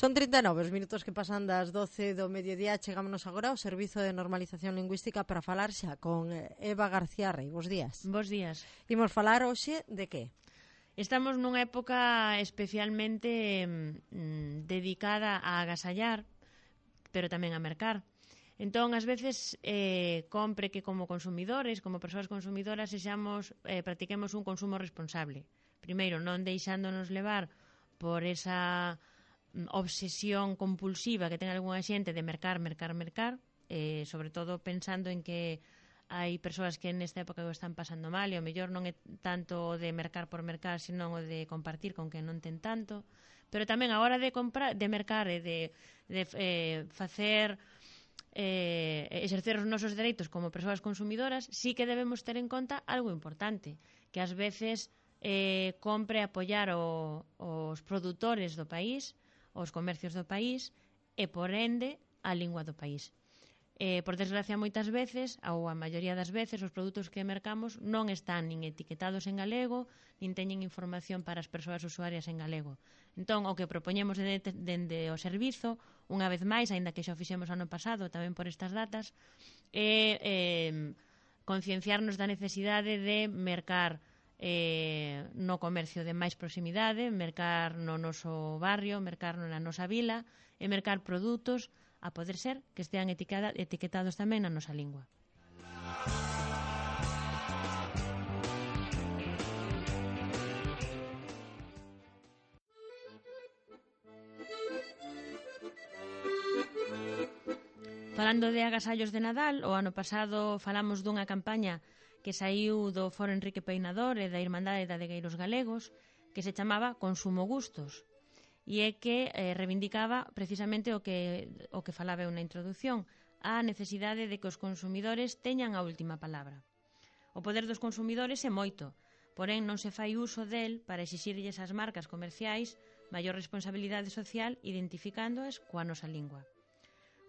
Son 39 os minutos que pasan das 12 do mediodía. Chegámonos agora ao Servizo de Normalización Lingüística para falar xa con Eva García Rey. Bos días. Bos días. Imos falar hoxe de que? Estamos nunha época especialmente dedicada a agasallar, pero tamén a mercar. Entón, ás veces, compre que como consumidores, como persoas consumidoras, practiquemos un consumo responsable. Primeiro, non deixándonos levar por esa obsesión compulsiva que ten algunha xente de mercar, sobre todo pensando en que hai persoas que nesta época o están pasando mal e o mellor non é tanto o de mercar por mercar, senón o de compartir con quen non ten tanto, pero tamén a hora de comprar, de mercar e de facer exercer os nosos dereitos como persoas consumidoras, sí que debemos ter en conta algo importante, que ás veces compre apoiar os produtores do país, os comercios do país e, por ende, a lingua do país. Por desgracia, moitas veces, ou a maioría das veces, os produtos que mercamos non están nin etiquetados en galego, nin teñen información para as persoas usuarias en galego. Entón, o que propoñemos dende o servizo, unha vez máis, aínda que xa o fixemos ano pasado, tamén por estas datas, é concienciarnos da necesidade de mercar no comercio de máis proximidade, mercar no noso barrio, mercar na nosa vila e mercar produtos, a poder ser que estean etiquetados tamén na nosa lingua. Falando de agasallos de Nadal, o ano pasado falamos dunha campaña que saiu do Foro Enrique Peinador e da Irmandade de Adegueiros Galegos, que se chamaba Consumo Gustos, e é que reivindicaba precisamente o que falaba eu na introducción, a necesidade de que os consumidores teñan a última palabra. O poder dos consumidores é moito, porén non se fai uso del para exixirlles ás marcas comerciais maior responsabilidade social identificándoas coa nosa lingua.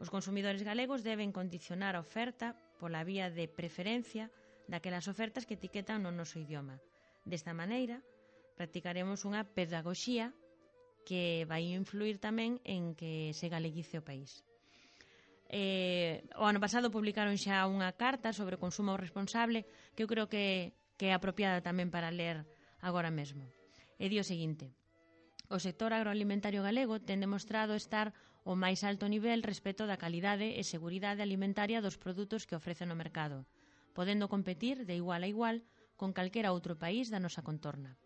Os consumidores galegos deben condicionar a oferta pola vía de preferencia daquelas ofertas que etiquetan no noso idioma. Desta maneira, practicaremos unha pedagogía que vai influir tamén en que se galeguice o país. O ano pasado publicaron xa unha carta sobre o consumo responsable que eu creo que é apropiada tamén para ler agora mesmo. E di o seguinte: o sector agroalimentario galego ten demostrado estar ao máis alto nivel respecto da calidade e seguridade alimentaria dos produtos que ofrece no mercado, podendo competir de igual a igual con calquera outro país da nosa contorna.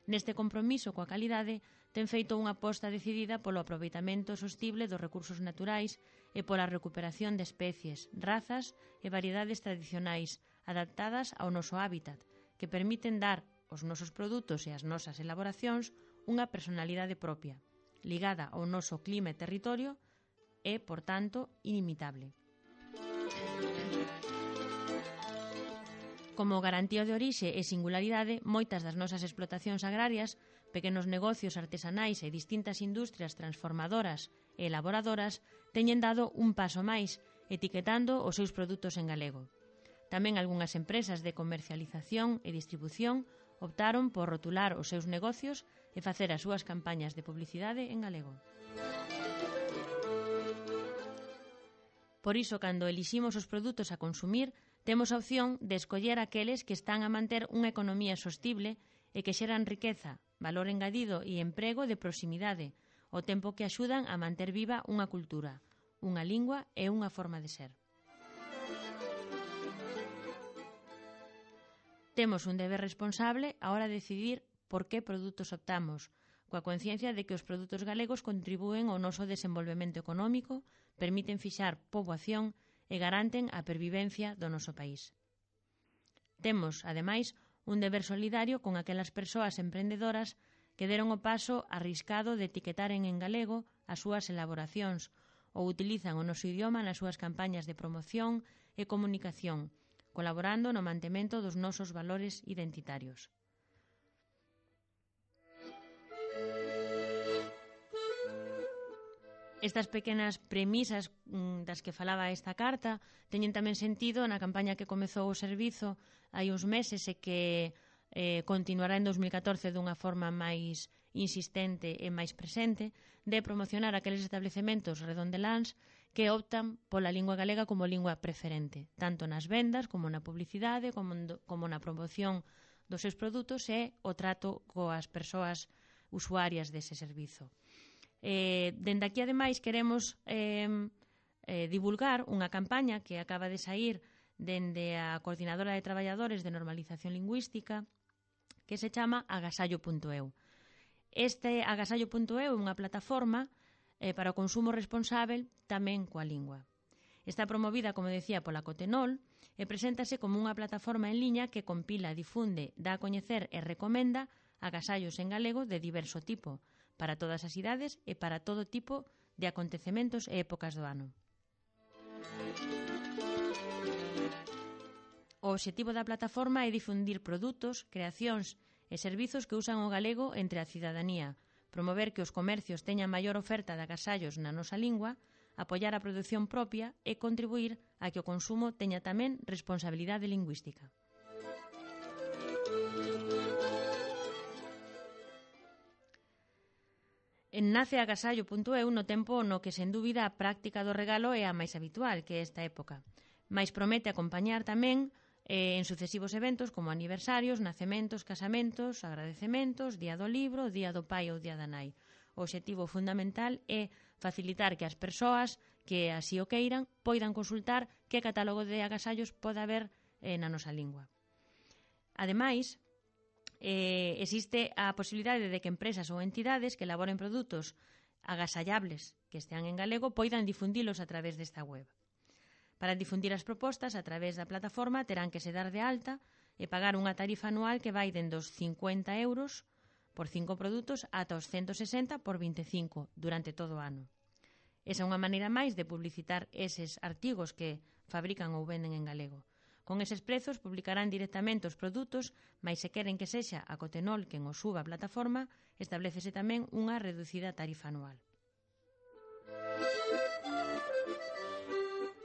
Neste compromiso coa calidade, ten feito unha aposta decidida polo aproveitamento sostible dos recursos naturais e pola recuperación de especies, razas e variedades tradicionais adaptadas ao noso hábitat, que permiten dar aos nosos produtos e ás nosas elaboracións unha personalidade propia, ligada ao noso clima e territorio e, por tanto, inimitable. Como garantía de orixe e singularidade, moitas das nosas explotacións agrarias, pequenos negocios artesanais e distintas industrias transformadoras e elaboradoras teñen dado un paso máis, etiquetando os seus produtos en galego. Tamén algunhas empresas de comercialización e distribución optaron por rotular os seus negocios e facer as súas campañas de publicidade en galego. Por iso, cando eliximos os produtos a consumir, temos a opción de escoller aqueles que están a manter unha economía sostible e que xeran riqueza, valor engadido e emprego de proximidade, ao tempo que axudan a manter viva unha cultura, unha lingua e unha forma de ser. Temos un deber responsable a hora de decidir por que produtos optamos, coa conciencia de que os produtos galegos contribúen ao noso desenvolvemento económico, permiten fixar poboación e garanten a pervivencia do noso país. Temos, ademais, un deber solidario con aquelas persoas emprendedoras que deron o paso arriscado de etiquetaren en galego as súas elaboracións ou utilizan o noso idioma nas súas campañas de promoción e comunicación, colaborando no mantemento dos nosos valores identitarios. Estas pequenas premisas das que falaba esta carta teñen tamén sentido na campaña que comezou o servizo hai uns meses e que continuará en 2014 dunha forma máis insistente e máis presente, de promocionar aqueles establecementos redondeláns que optan pola lingua galega como lingua preferente, tanto nas vendas como na publicidade, como na promoción dos seus produtos e o trato coas persoas usuarias dese servizo. Dende aquí, ademais, queremos divulgar unha campaña que acaba de saír dende a Coordinadora de Traballadores de Normalización Lingüística, que se chama agasallo.eu. Este agasallo.eu é unha plataforma para o consumo responsável tamén coa lingua. Está promovida, como decía, pola Cotenol e preséntase como unha plataforma en liña que compila, difunde, dá a coñecer e recomenda agasallos en galego de diverso tipo, para todas as idades e para todo tipo de acontecementos e épocas do ano. O obxectivo da plataforma é difundir produtos, creacións e servizos que usan o galego entre a cidadanía, promover que os comercios teñan maior oferta de agasallos na nosa lingua, apoiar a produción propia e contribuir a que o consumo teña tamén responsabilidade lingüística. Nace agasallo.eu no tempo no que, sen dúbida, a práctica do regalo é a máis habitual, que é esta época. Mais promete acompañar tamén en sucesivos eventos como aniversarios, nacementos, casamentos, agradecementos, Día do Libro, Día do Pai ou Día da Nai. O obxectivo fundamental é facilitar que as persoas que así o queiran poidan consultar que catálogo de agasallos pode haber na nosa lingua. Ademais, existe a posibilidade de que empresas ou entidades que elaboren produtos agasallables que estean en galego poidan difundilos a través desta web. Para difundir as propostas a través da plataforma terán que se dar de alta e pagar unha tarifa anual que vai dende os 50 euros por 5 produtos ata os 160 por 25 durante todo o ano. Esa é unha maneira máis de publicitar eses artigos que fabrican ou venden en galego. Con eses prezos publicarán directamente os produtos, mas se queren que sexa a Cotenol quen os suba a plataforma, establecese tamén unha reducida tarifa anual.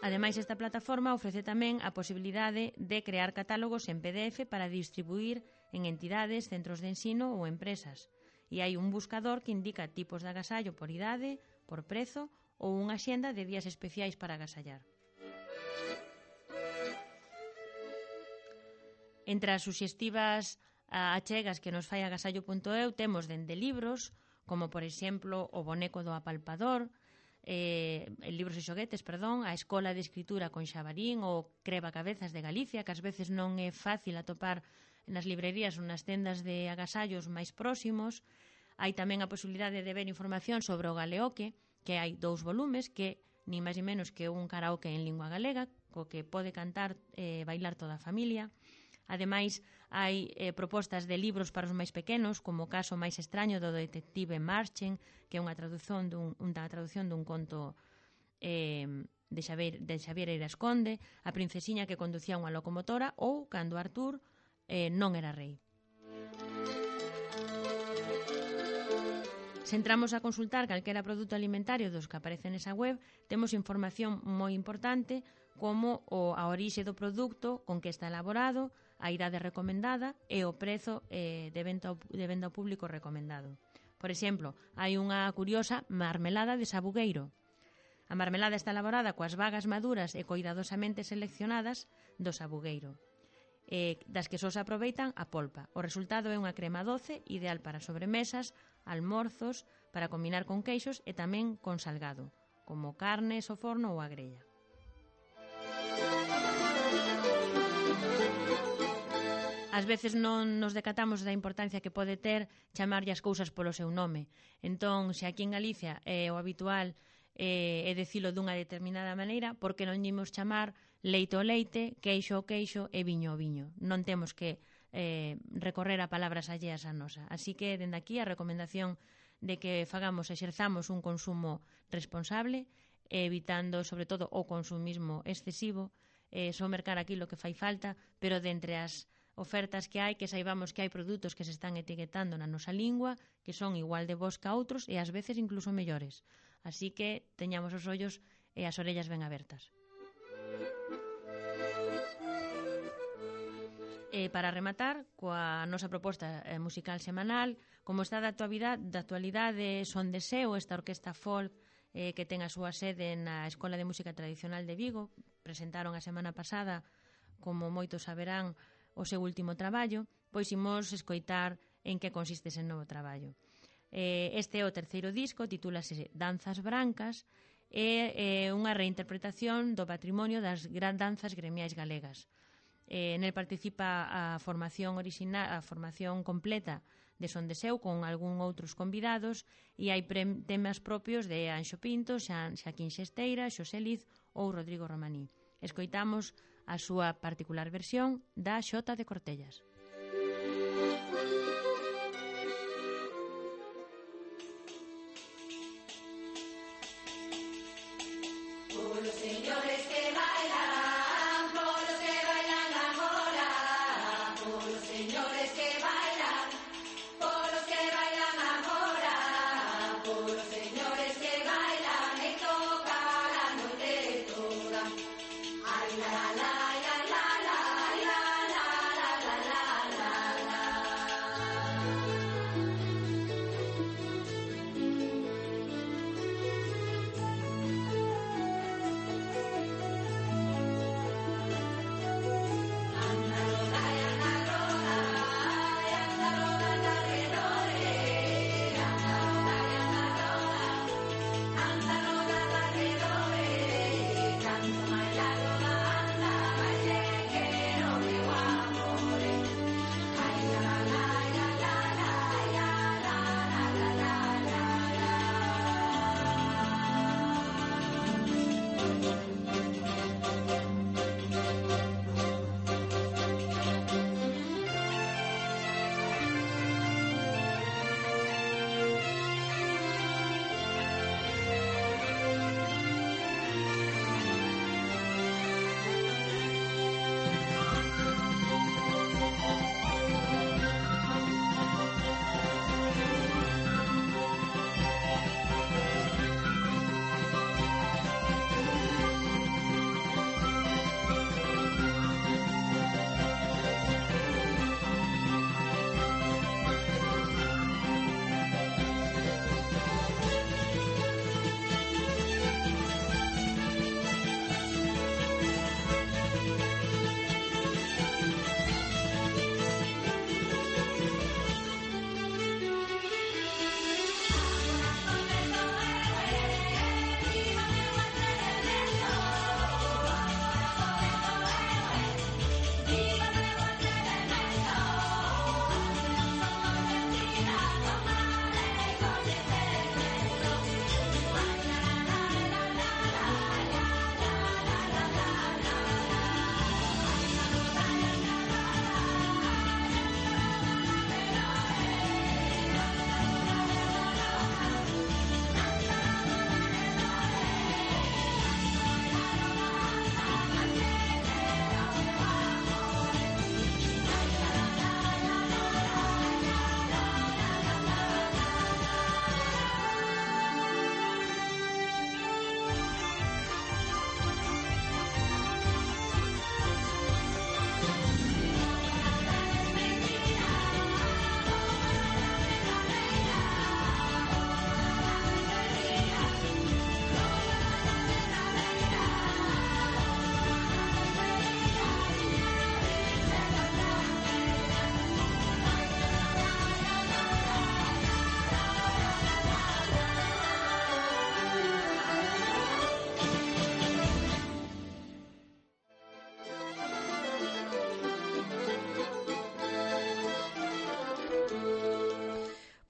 Ademais, esta plataforma ofrece tamén a posibilidade de crear catálogos en PDF para distribuir en entidades, centros de ensino ou empresas. E hai un buscador que indica tipos de agasallo por idade, por prezo ou unha xenda de días especiais para agasallar. Entre as suxestivas achegas que nos fai agasallo.eu temos dende libros, como por exemplo o boneco do apalpador, libros e xoguetes, a Escola de Escritura con Xabarín ou Crevacabezas de Galicia, que ás veces non é fácil atopar nas librerías ou nas tendas de agasallos máis próximos. Hai tamén a posibilidade de ver información sobre o galeoque, que hai 2 volumes, que ni máis ni menos que un karaoke en lingua galega, co que pode cantar e bailar toda a familia. Ademais, hai propostas de libros para os máis pequenos, como o caso máis extraño do detective Marchen, que é unha traducción dun conto de Xavier Eiras Conde, A princesiña que conducía unha locomotora ou Cando Artur non era rei. Se entramos a consultar calquera produto alimentario dos que aparecen nesa web, temos información moi importante como a orixe do produto, con que está elaborado, a idade recomendada e o prezo de venda ao público recomendado. Por exemplo, hai unha curiosa marmelada de sabugueiro. A marmelada está elaborada coas bagas maduras e coidadosamente seleccionadas do sabugueiro, das que só se aproveitan a polpa. O resultado é unha crema doce, ideal para sobremesas, almorzos, para combinar con queixos e tamén con salgado, como carnes ao forno ou a grella. Ás veces non nos decatamos da importancia que pode ter chamarlle as cousas polo seu nome. Entón, se aquí en Galicia é o habitual é dicilo dunha determinada maneira, porque non imos chamar leite ao leite, queixo ao queixo e viño ao viño. Non temos que recorrer a palabras alleas a nosa. Así que, dende aquí, a recomendación de que exerzamos un consumo responsable, evitando, sobre todo, o consumismo excesivo, só mercar aquilo que fai falta, pero de entre as ofertas que hai, que saibamos que hai produtos que se están etiquetando na nosa lingua, que son igual de bons que outros e ás veces incluso mellores. Así que teñamos os ollos e as orellas ben abertas. Para rematar, coa nosa proposta musical semanal, como está da actualidade Son de Seu, esta orquesta folk que ten a súa sede na Escola de Música Tradicional de Vigo, presentaron a semana pasada, como moitos saberán, o seu último traballo, pois imos escoitar en que consiste ese novo traballo. Este é o terceiro disco, titúlase Danzas Brancas, é unha reinterpretación do patrimonio das danzas gremiais galegas. Nel participa a formación original, a formación completa de Son de Seu con algún outros convidados e hai temas propios de Anxo Pinto, Xaquín Xesteira, Xosé Liz ou Rodrigo Romaní. Escoitamos a súa particular versión da Xota de Cortellas. Los señores que bailan, por los que bailan ahora, por los señores que bailan, por los que bailan ahora, por los señores que bailan y tocan la noche toda. Ay la la la la la la la la la la la la.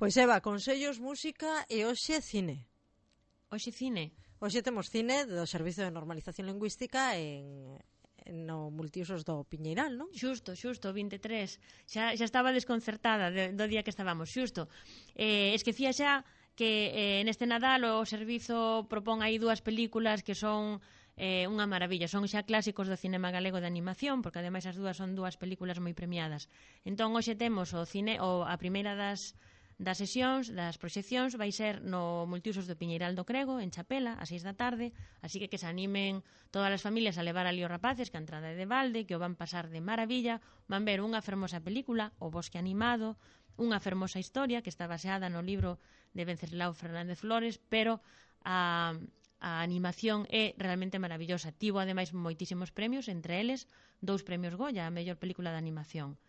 Pois Eva, consellos, música e hoxe cine. Hoxe cine? Hoxe temos cine do Servizo de Normalización Lingüística no multiusos do Piñeiral, non? Xusto, 23. Xa estaba desconcertada do día que estábamos, xusto. Esquecía xa que neste Nadal o servizo propón aí dúas películas que son unha maravilla, son xa clásicos do cinema galego de animación, porque ademais as dúas son dúas películas moi premiadas. Entón hoxe temos a primeira das das sesións, das proxeccións, vai ser no Multiusos do Piñeiral do Crego, en Chapela, a 6 da tarde, así que se animen todas as familias a levar ali os rapaces, que a entrada é de balde, que o van pasar de maravilla, van ver unha fermosa película, O Bosque Animado, unha fermosa historia que está baseada no libro de Venceslao Fernández Flores, pero a animación é realmente maravillosa. Tivo ademais moitísimos premios, entre eles 2 premios Goya, a mellor película de animación.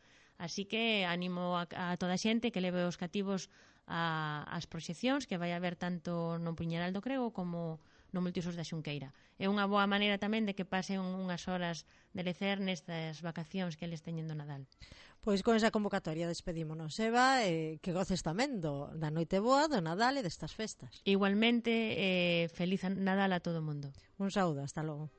Así que animo a toda a xente que leve os cativos ás proxeccións que vai haber tanto no Piñeiral do Crego como no Multiusos da Xunqueira. É unha boa maneira tamén de que pasen unhas horas de lecer nestas vacacións que eles teñen do Nadal. Pois con esa convocatoria despedímonos, Eva, que goces tamén da noite boa, do Nadal e destas festas. Igualmente, feliz Nadal a todo o mundo. Un saúdo, hasta logo.